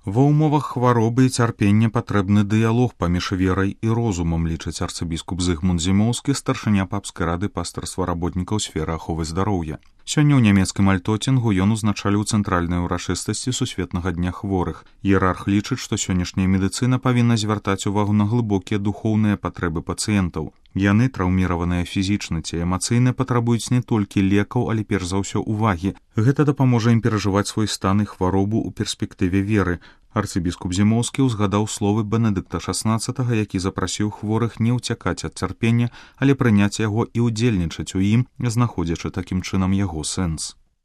Ва ўмовах хваробы і цярпення патрэбны дыялог паміж верай і розумам, лічыць арцыбіскуп Зыгмунд Зімоўскі, старшыня папскай рады пастырства работнікаў сферы аховы здароўя. Сёння ў нямецкім альтоцінгу ён узначаліў цэнтральнай урачыстасці сусветнага дня хворых. Іерарх лічыць, што сённяшняя медыцына павінна звяртаць увагу на глыбокія духоўныя патрэбы пацыентаў. Яны, траўміраваныя фізічна ці эмацыйна, патрабуюць не толькі лекаў, але перш за ўсё увагі. Гэта дапаможа ім перажываць свой стан і хваробу ў перспектыве веры. Арцыбіскуп Зімоўскі ўзгадаў словы Бенедыкта XVI, які запрасіў хворых не ўцякаць ад цярпення, але прыняць яго і ўдзельнічаць у ім, знаходзячы такім чынам яго сэнс.